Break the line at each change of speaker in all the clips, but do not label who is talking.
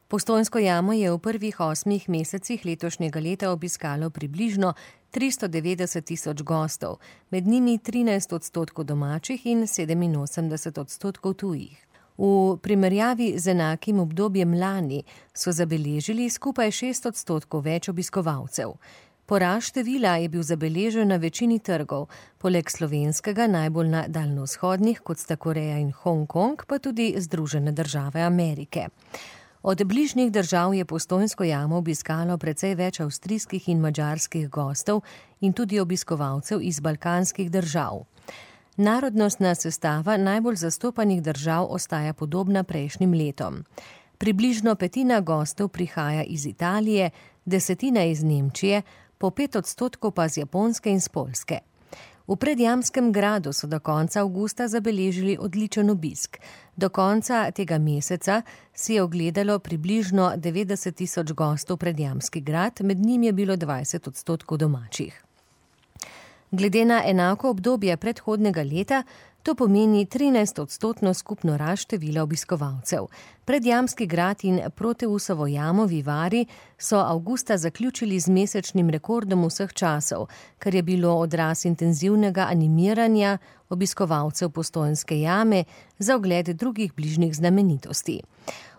Postojnsko jamo je v prvih 8 mesecih letošnjega leta obiskalo približno 390 000 gostov, med njimi 13% domačih in 87% tujih. V primerjavi z enakim obdobjem lani so zabeležili skupaj 6% več obiskovalcev. Porast števila je bil zabeležen na večini trgov, poleg slovenskega najbolj na daljnovzhodnih, kot sta Koreja in Hongkong, pa tudi Združene države Amerike. Od bližnjih držav je Postojnsko jamo obiskalo precej več avstrijskih in madžarskih gostov in tudi obiskovalcev iz balkanskih držav. Narodnostna sestava najbolj zastopanih držav ostaja podobna prejšnjim letom. Približno petina gostov prihaja iz Italije, 10% iz Nemčije, po 5% pa z Japonske in s Poljske. V Predjamskem gradu so do konca avgusta zabeležili odličen obisk. Do konca tega meseca si je ogledalo približno 90 000 gostov Predjamski grad, med njim je bilo 20% domačih. Glede na enako obdobje predhodnega leta, to pomeni 13% skupno rast števila obiskovalcev. Predjamski grad in Proteusovo jamo Vivari so avgusta zaključili z mesečnim rekordom vseh časov, kar je bilo odraz intenzivnega animiranja obiskovalcev Postojnske jame za ogled drugih bližnjih znamenitosti.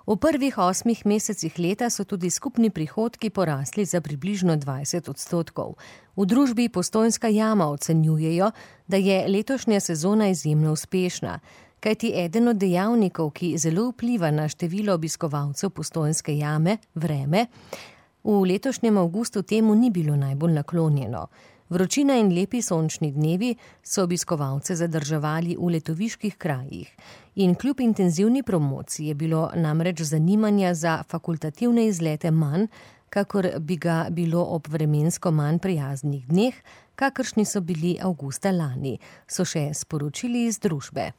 V prvih 8 mesecih leta so tudi skupni prihodki porasli za približno 20%. V družbi Postojnska jama ocenjujejo, da je letošnja sezona izjemno uspešna, kajti eden od dejavnikov, ki zelo vpliva na število obiskovalcev Postojnske jame, vreme, v letošnjem avgustu temu ni bilo najbolj naklonjeno. Vročina in lepi sončni dnevi so obiskovalce zadrževali v letoviških krajih in kljub intenzivni promociji je bilo namreč zanimanja za fakultativne izlete manj, kakor bi ga bilo ob vremensko manj prijaznih dneh, kakršni so bili avgusta lani, so še sporočili iz družbe.